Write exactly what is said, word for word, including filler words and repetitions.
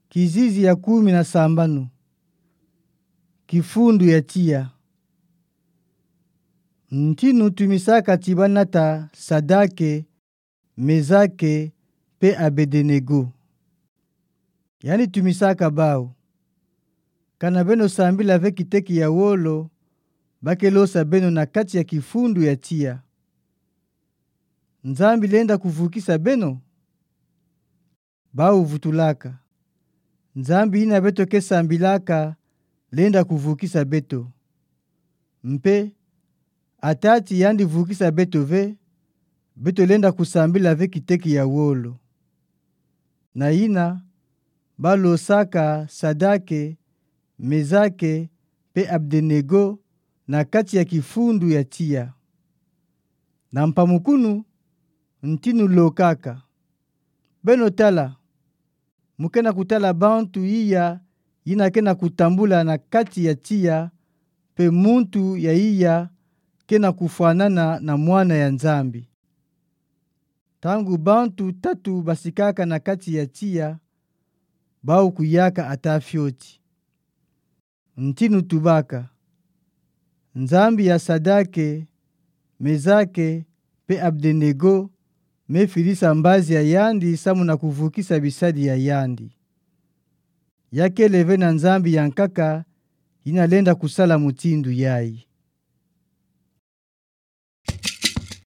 Kizizi ya kumi na sambanu. Kifundu ya tiya. Ntinu tumisaka tibanata Sadake, Mezake, pe Abedenego. Yandi tumisaka bau: Kana beno sambila ve kiteke ya wolo, ba ke losa beno na kati ya kifundu ya tiya, Nzambi lenda kuvukisa beno? Bau vutulaka: Nzambi yina beto ke sambilaka lenda kuvukisa beto. Mpe atati yandi vukisa beto ve, beto lenda kusambila ve kiteke ya wolo. Na yina, ba losaka Sadake, Mezake, pe Abedenego na kati ya kifundu ya tiya. Na mpamukunu, ntinu lokaka: Beno tala, mo kena kutala bantu iya yina kena kutambula na kati ya tiya, pe muntu ya iya kena kufwanana na Mwana ya Nzambi. Ntangu bantu tatu basikaka na kati ya tiya, bau kuyaka ata fioti. Ntinu tubaka: Nzambi ya Sadake, Mezake, pe Abedenego mefidisa mbazi ya yandi samu na kuvukisa bisadi ya yandi. Ya kele ve na nzambi ya nkaka yina lenda kusala mutindu yayi.